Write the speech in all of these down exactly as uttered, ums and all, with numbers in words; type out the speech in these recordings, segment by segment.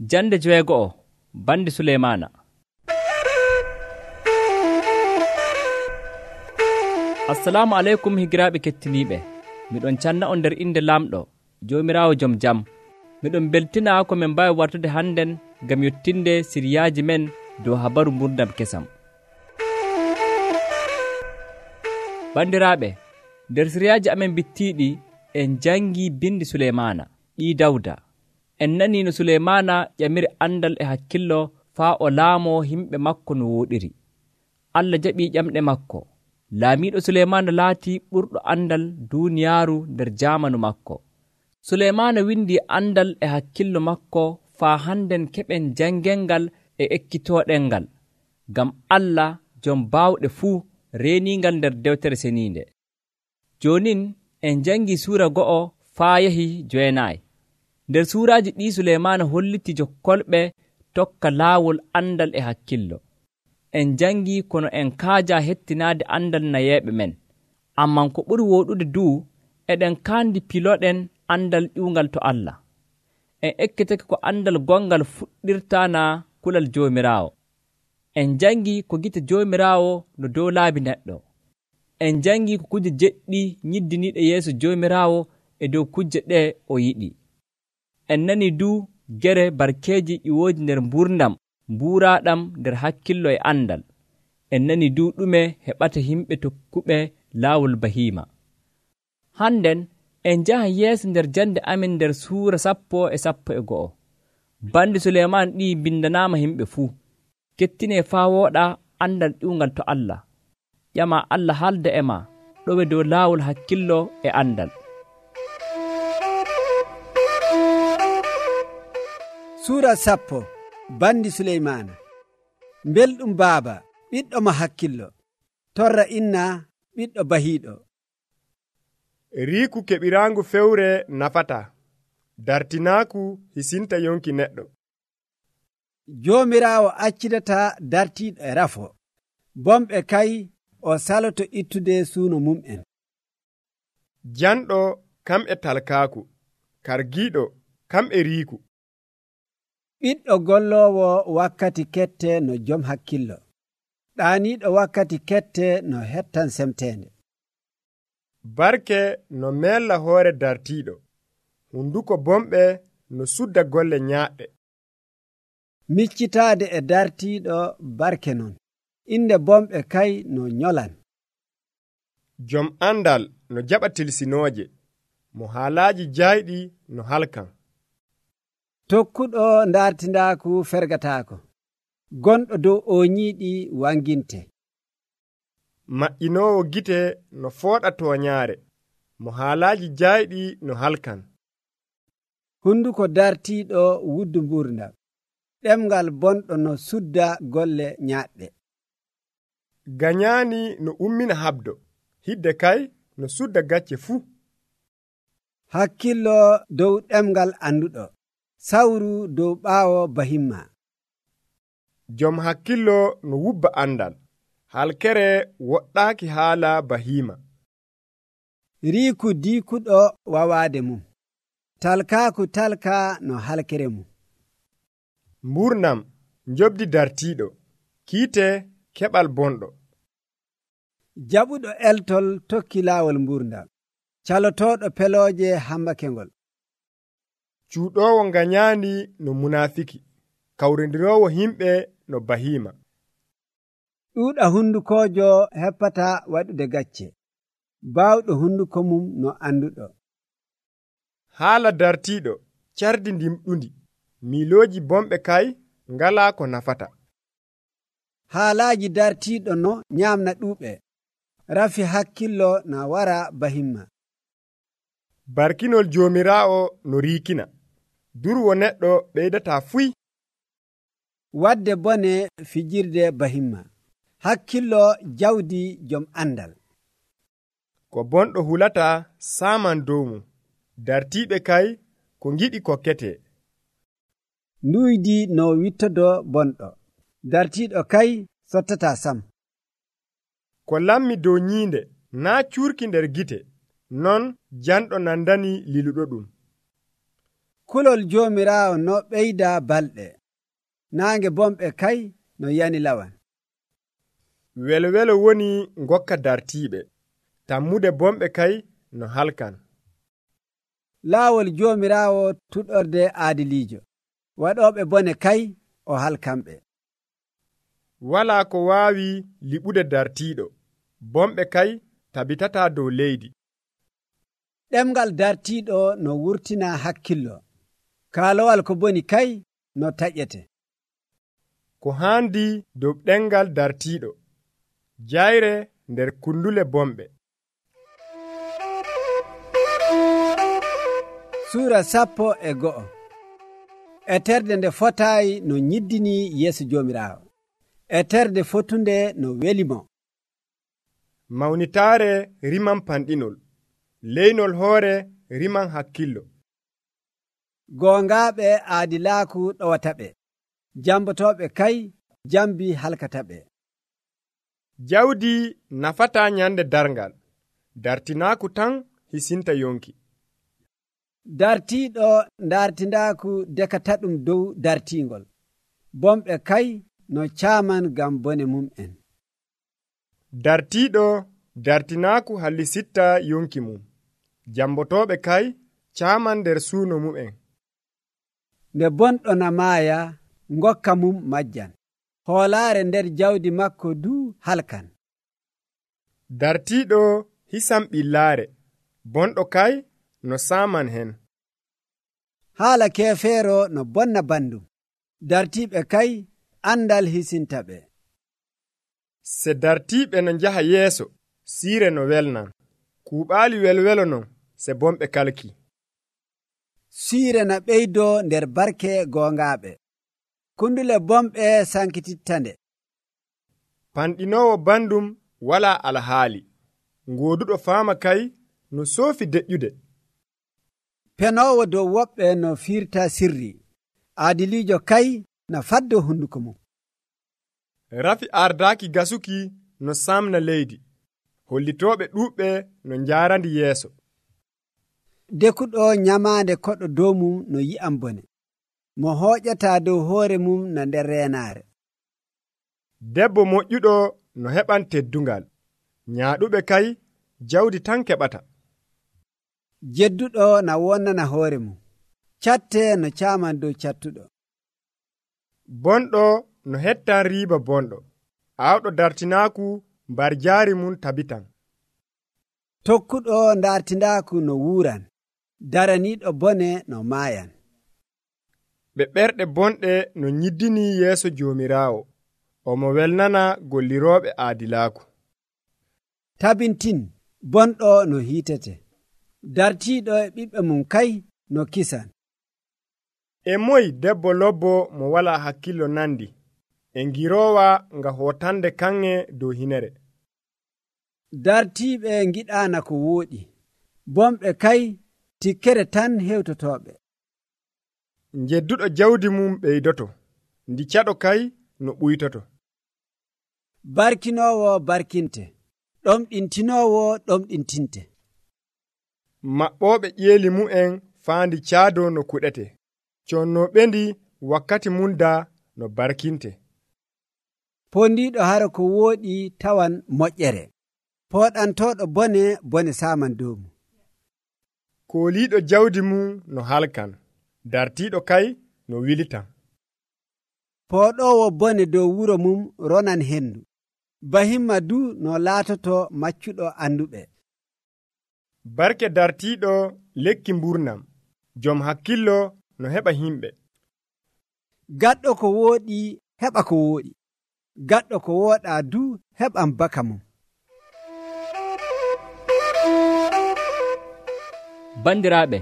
Jande joweego'o bandi Suleymaana. Assalamu aleykum higiraaɓe kettiniiɓe. Miɗon canna on nder inde Lamɗo, Joomiraawo jom jam. Miɗon beltina ko min mbawi wartude hannden ngam yottinde siriyaaji men dow habaru gurdam kesam. Bandiraaɓe, nder siriyaaji amen bittiiɗi en jangi bindi Suleymaana ɓii Dawda. En nani no Suleymaana ƴamiri andal e hakkillo faa o laamoo himɓe makko no wooɗiri. Allah jaɓii ƴamɗe makko. Laamiiɗo Suleymaana laatii ɓurɗo andal duuniyaaru nder jaamanu makko. Suleymaana windii andal e hakkillo makko faa hannden keɓen jangengal e ekkitooɗengal, ngam Allah jom baawɗe fuu reeniingal nder dewtere seniinde. Joonin en jangii suura go'o faa yahi jowenaayi. Nder suuraaji ɗii Suleymaana holliti jokkolɓe tokka laawol andal e hakkillo. En jangii kono en kaaja hettinaade andal nayeeɓe men, amman ko ɓuri wooɗude duu eɗen kaandi piloɗen andal ƴuungal to Allah. En ekkitake ko andal gongal fuɗɗirtaa naa kulal Joomiraawo. En jangii ko gite Joomiraawo no dow laabi neɗɗo. En jangii ko kuje jeɗɗi nyiddiniiɗe yeeso Joomiraawo e dow kujje ɗee o yiɗi. En nanii duu gere barkeeji ƴiwooji nder mburdam mbuuraaɗam nder hakkillo e andal. En nanii duu ɗume heɓata himɓe tokkuɓe laawol bahiima. Hannden en njahan yeeso nder jande amin nder suura sappo e sappo e go'o. Bandi Suleymaan ɗii bindanaama himɓe fuu. Kettinee faa wooɗa andal ƴuungal to Allah. ƴama Allah haalda e ma ɗowe dow laawol hakkillo e andal. Suura sappo bandi Suleymaana. Belɗum baaba ɓiɗɗo mo hakkillo, torra inna ɓiɗɗo bahiiɗo. Riiku keɓiraangu fewre nafata, dartinaaku hisinta yonki neɗɗo. Joomiraawo accidata dartiiɗo e rafo, bomɓe kay o saloto ittude suuno mum'en. Janɗo kam e talkaaku, kargiiɗo kam e riiku. Ɓiɗɗo golloowo wakkati kette no jom hakkillo, ɗaaniiɗo wakkati kette no hettan semteende. Barke no meella hoore dartiiɗo, hunduko bomɓe no sudda golle nyaaɗɗe. Miccitaade e dartiiɗo barke non, inde bomɓe kay no nyolan. Jom andal no jaɓa tilsinooje, mo haalaaji jaayɗi no halkan. Tokkuɗo ndartindaaku fergataako, gonɗo dow ooñiiɗi wanginte. Maƴƴinoowo gite no fooɗa tooñaare, mo haalaaji jaayɗi no halkan. Hunduko dartiiɗo wuddu mburdam, ɗemngal bonɗo no sudda golle nyaaɗɗe. Ganyaani no ummina habdo, hidde kay no sudda gacce fuu. Hakkillo dow ɗemngal anduɗo, sawru dow ɓaawo bahimma. Jom hakkillo no wubba andal, halkere woɗɗaaki haala bahiima. Riiku diikuɗo wawaade mum, talkaaku talka no halkere mum. Mburnam njobdi dartiiɗo, kiite keɓal bonɗo. Jaɓuɗo eltol tokki laawol mburdam, calotooɗo pelooje hambakengol. Cuuɗoowo ganyaani no munaafiki, kawrindiroowo himɓe no bahiima. Ɗuuɗa hundukoojo heppata waɗude gacce, baawɗo hunduko mum no anduɗo. Haala dartiiɗo cardi ndimɗundi, miilooji bomɓe kay ngalaa ko nafata. Haalaaji dartiiɗo no nyaamna ɗuuɓe, rafi hakkillo na wara bahimma. Barkinol Joomiraawo no riikina, durwo neɗɗo ɓeydataa fuy. Wadde bone fijirde bahimma, hakkillo jawdi jom andal. Ko bonɗo hulata saaman dow mum, dartiiɓe kay ko ngiɗi kokkete. Nuydi no wittodo bonɗo, dartiiɗo kay sottata sam. Ko lammi dow nyiinde naa cuurki nder gite, non janɗo nandani liluɗo ɗum. kulol Joomiraawo no ɓeyda balɗe, naange bomɓe kay no yani lawan. welwelo woni ngokka dartiiɓe, tammude bomɓe kay no halkan. Laawol Joomiraawo tuɗorde aadiliijo, waɗooɓe bone kay o halkamɓe. Walaa ko waawi liɓude dartiiɗo, bomɓe kay tabitataa dow leydi. Ɗemngal dartiiɗo no wurtina hakkillo, kaalowal ko boni kay no taƴete. Ko haandi dow ɗemngal dartiiɗo, jayre nder kundule bomɓe. Suura sappo e go'o. E terde nde fotaayi no nyiddini yeeso Joomiraawo, e terde fotunde no welimo. Mawnitaare riman panɗinol, leynol hoore riman hakkillo. Goongaaɓe aadilaaku ɗowataɓe, jambotooɓe kay jambi halkataɓe. Jawdi nafataa nyande darngal, dartinaaku tan hisinta yonki. Dartiiɗo dartindaaku dekata ɗum dow dartiingol, bomɓe kay no caaman gam bone mum'en. Dartiiɗo dartinaaku hallisitta yonki mum, jambotooɓe kay caaman nder suuno mum'en. Nde bonɗo na maaya ngokka mum majjan, hoolaare nder jawdi makko du halkan. Dartiiɗo hisan ɓillaare, bonɗo kay no saaman hen. Haala keefeero no bonna bandum, dartiiɓe kay andal hisintaɓe. Se dartiiɓe no njaha yeeso, siire no welnan, kuuɓaali welwelo non se bomɓe kalki. Siire na ɓeydoo nder barke goongaaɓe, kundule bomɓe sankitittande. Panɗinoowo bandum walaa alhaali, ngooduɗo faama kay no soofi deƴƴude. Penoowo dow woɓɓe no fiirta sirri, aadiliijo kay na faddo hunduko mum. Rafi ardaaki gasuki no samna leydi, hollitooɓe ɗuuɓɓe no njaarandi yeeso. Dekuɗo nyamaande koɗo dow mum no yi'am bone, mo hooƴataa dow hoore mum na nder reenaare. Debbo moƴƴuɗo no heɓan teddungal, nyaaɗuɓe kay jawdi tan keɓata. Jedduɗo na wonnana hoore mum, catte no caaman dow cattuɗo. Bonɗo no hettan riiba bonɗo, aawɗo dartinaaku mbar jaari mum tabitan. Tokkuɗo dartindaaku no wuuran, daraniiɗo bone no maayan. Ɓe ɓerɗe bonɗe no nyiddini yeeso Joomiraawo, omo welnana gollirooɓe aadilaaku. Tabintin bonɗo no hiitete, dartiiɗo e ɓiɓɓe mum kay no kisan. E moy debbo lobbo mo walaa hakkillo nandi, e ngiroowa nga hootande kanŋe dow hinere. Dartiiɓe ngiɗaana ko wooɗi, bomɓe kay tikkere tan hewtotooɓe. Jedduɗo jawdi mum ɓeydoto, ndi caɗo kay no ɓuytoto. Barkinoowo barkinte, ɗomɗintinoowo ɗomɗintinte. Maɓɓooɓe ƴeeli mu'en faandi caado no kuɗete, connooɓendi wakkati munda no barkinte. Pondiiɗo hara ko wooɗi tawan moƴƴere, pooɗantooɗo bone bone saaman dow mum. Kooliiɗo jawdi mum no halkan, dartiiɗo kay no wilitan. Pooɗoowo bone dow wuro mum ronan hendu, bahimma du no laatoto maccuɗo anduɓe. Barke dartiiɗo lekki mburnam, jom hakkillo no heɓa himɓe. Gaɗɗo ko wooɗi heɓa ko wooɗi, gaɗɗo ko wooɗaa du heɓan baka mum. Bandiraaɓe,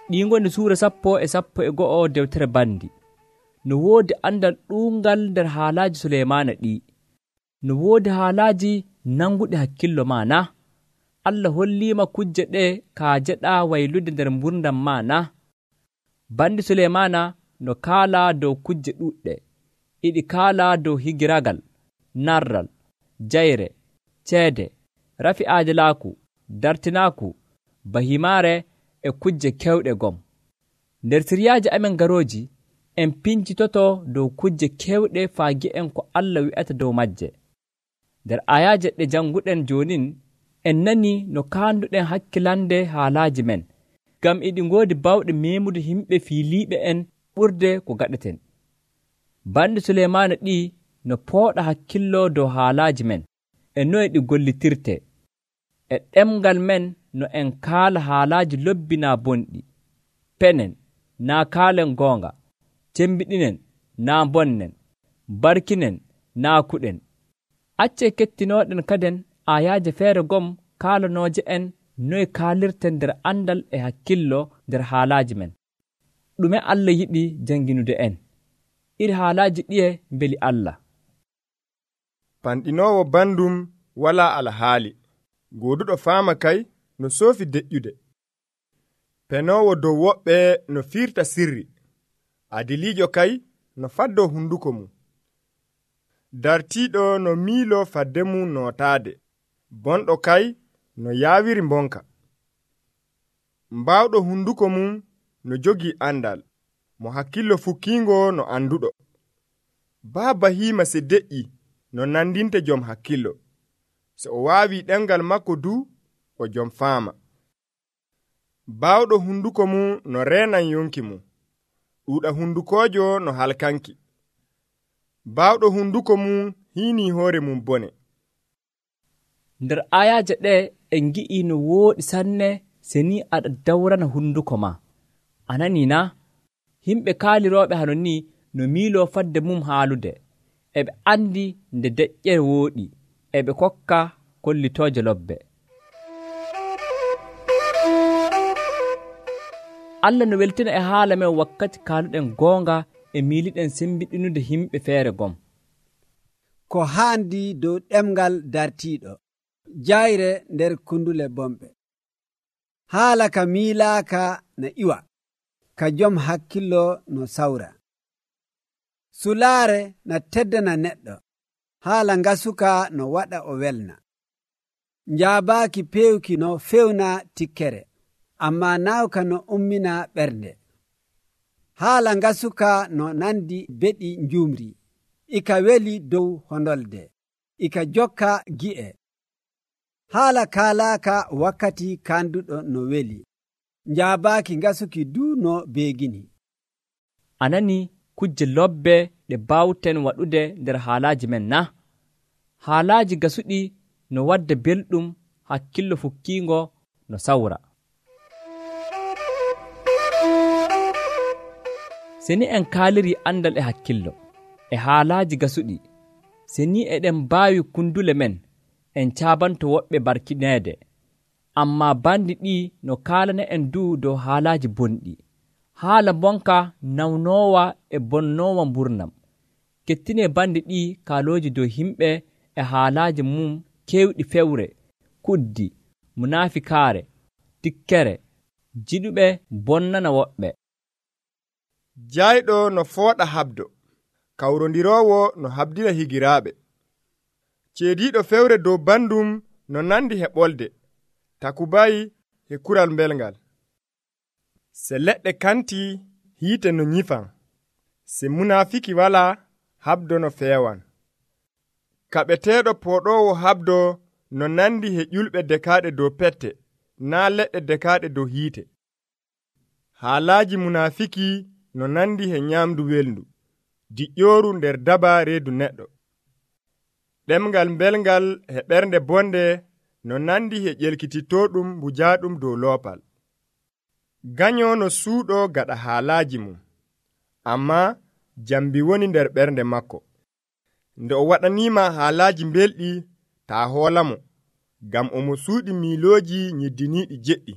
ɗi ngoni suura sappo e sappo e go'o dewtere bandi. No woodi andal ɗuungal nder haalaaji Suleymaana ɗi. No woodi haalaaji nanguɗi hakkillo ma na? Allah holliima kujje ɗe kaajeɗaa waylude nder mburdam ma na? Bandi Suleymaana no kaala dow kujje ɗuuɗɗe, iɗi kaala dow higiragal, narral, jayre, ceede, rafi aadilaaku, dartinaaku, bahimaare e kujje kewɗe gom. nder siryaaji amen garooji en pincitoto dow kujje kewɗe faa gi'en ko Allah wi'ata dow majje. nder ayaaje ɗe janguɗen jonin en nani no kaanduɗen hakkilande haalaaji men, ngam iɗi ngoodi bawɗe meemude himɓe fiiliiɓe en ɓurde ko gaɗeten. Bandi Suleymaana ɗi no pooɗa hakkillo dow haalaaji men e noye ɗi gollitirte, e ɗemgal men no en kaala haalaaji lobbi naa bonɗi, penen naa kaalen goonga, cembiɗinen naa bonnen, barkinen naa kuɗen. Accee kettinooɗen kaden ayaaje feere gom kaalanooje en noye kaalirten nder andal e hakkillo nder haalaaji men. Ɗume Allah yiɗi janginude en? iri haalaaji ɗiye mbeli Allah. Panɗinoowo bandum walaa alhaali, gooduɗo faama kay no soofi deƴƴude. Penoowo dow woɓɓe no firta sirri, adiliijo kay no faddoo hunduko mum. Dartiiɗo no miiloo fadde mum nootaade, bonɗo kay no yaawiri mbonka. Mbaawɗo hunduko mum no jogii andal, mo hakkillo fukkiingo no anduɗo. Baa bahiima se deƴƴi no nandinte jom hakkillo, so o waawi ɗemgal makko du o jom faama. Baawɗo hunduko mum no reenan yonki mum, ɗuuɗa hundukoojo no halkanki. Baawɗo hunduko mum hiinii hoore mum bone. nder ayaaje ɗe en gi'i no wooɗi sanne se ni aɗa dawrana hunduko ma. Anani na? Himɓe kaalirooɓe hano ni no miiloo fadde mum haalude, eɓe andi nde deƴƴere wooɗi, eɓe kokka kollitooje lobbe. Allah no weltina e haala men wakkati kaaluɗen goonga e miiliɗen sembiɗinude himɓe feere gom. Ko haandi dow ɗemgal dartiiɗo, jayre nder kundule bomɓe. Haala ka miilaaka no iwa, ka jom hakkillo no sawra. Sulaare na teddana neɗɗo, haala ngasuka no waɗa o welna. Njaabaaki pewki no fewna tikkere, amma naawka no ummina ɓernde. Haala ngasuka no nandi beɗi njumri, ika weli dow hondolde, ika jokka gi'e. Haala kaalaaka wakkati kanduɗo no weli, njaabaaki ngasuki du no beegini. Anani kujje lobbe ɗe bawten waɗude nder haalaaji men na? Haalaaji gasuɗi no wadda belɗum, hakkillo fukkiingo no sawra. Seni en kaaliri andal e hakkillo e haalaaji gasuɗi, seni eɗen mbaawi kundule men en caabanto woɓɓe barkineede, amma bandi ɗi no kaalana en du dow haalaaji bonɗi, haala bonka nawnoowa e bonnoowa mburnam. Kettine bandi ɗi kaalooji dow himɓe e haalaaji mum kewɗi fewre, kuddi, munaafikaare, tikkere, jiɗuɓe bonnana woɓɓe. Jayɗo no fooɗa habdo, kawrondiroowo no habdina higiraaɓe. Ceediiɗo fewre dow bandum no nandi heɓolde, takubayi e kural mbelngal. Se leɗɗe kanti hiite no nyifan, se munaafiki walaa habdo no feewan. Kaɓeteeɗo pooɗoowo habdo no nandi he ƴulɓe dekaaɗe dow pette, naa leɗɗe dekaaɗe dow hiite. Haalaaji munaafiki no nandi he nyaamdu welndu, diƴƴooru nder daba reedu neɗɗo. Ɗemgal mbelngal he ɓernde bonde no nandi he ƴelkitittoɗum mbujaaɗum dow loopal. Ganyo no suuɗo gaɗa haalaaji mum, amma jambi woni nder ɓernde makko. Nde o waɗaniima haalaaji mbelɗi, taa hoolamo, ngam omo suuɗi miilooji nyiddiniiɗi jeɗɗi.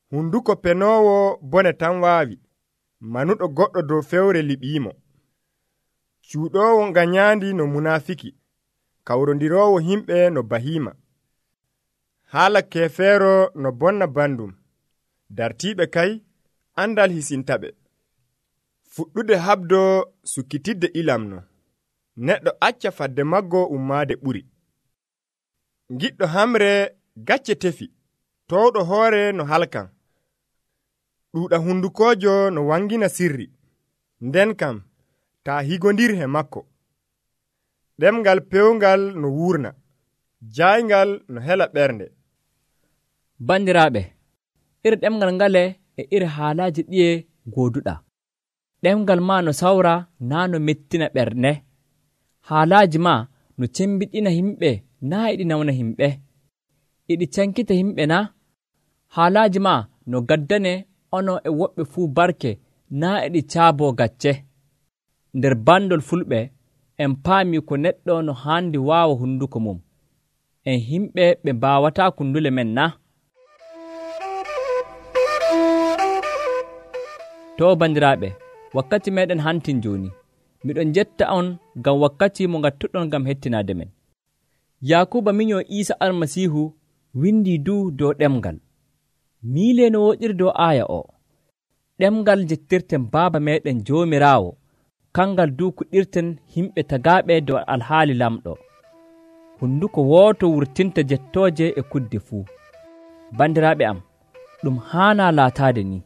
Hunduko penoowo bone tan waawi, manuɗo goɗɗo dow fewre liɓiimo. Cuuɗoowo ganyaandi no munaafiki, kawrondiroowo himɓe no bahiima. Haala keefeero no bonna bandum, dartiiɓe kay andal hisintaɓe. Fuɗɗude habdo sukkitidde ilamno, neɗɗo acca fadde maggo ummaade ɓuri. Giɗɗo hamre gacce tefi, towɗo hoore no halkan. ɗuuɗa hundukoojo no wangina sirri, nden kam taa higondir he makko. Ɗemngal pewngal no wurna, jayngal no hela ɓernde. Bandiraaɓe, iri ɗemngal ngale e iri haalaaji ɗiye gooduɗaa. Ɗemngal maa no sawra naa no mettina ɓernde. Haalaaji maa no cembiɗina himɓe naa e ɗi nawna himɓe. E ɗi cankita himɓe naa. Haalaaji maa no gaddane onon e woɓɓe fuu barke naa e ɗi caaboo gacce. Nder bandol fulɓe en paamii ko neɗɗo no haandi waawa hunduko mum. En himɓe ɓe mbaawataa kundule men naa. To bandiraaɓe, wakkati meeɗen hantin jooni. Miɗon jetta on ngam wakkati mo ngattuɗon ngam hettinaade men. Yaakuba minyoo Iisa Almasiihu windii du dow ɗemngal. Miilee no woɗiri dow aaya o. Ɗemngal jettirten baaba meeɗen Joomiraawo, kangal du kuɗirten himɓe tagaaɓe dow alhaali lamɗo. Hunduko wooto wurtinta jettooje e kudde fuu. Bandiraaɓe am, ɗum haanaa laataade ni.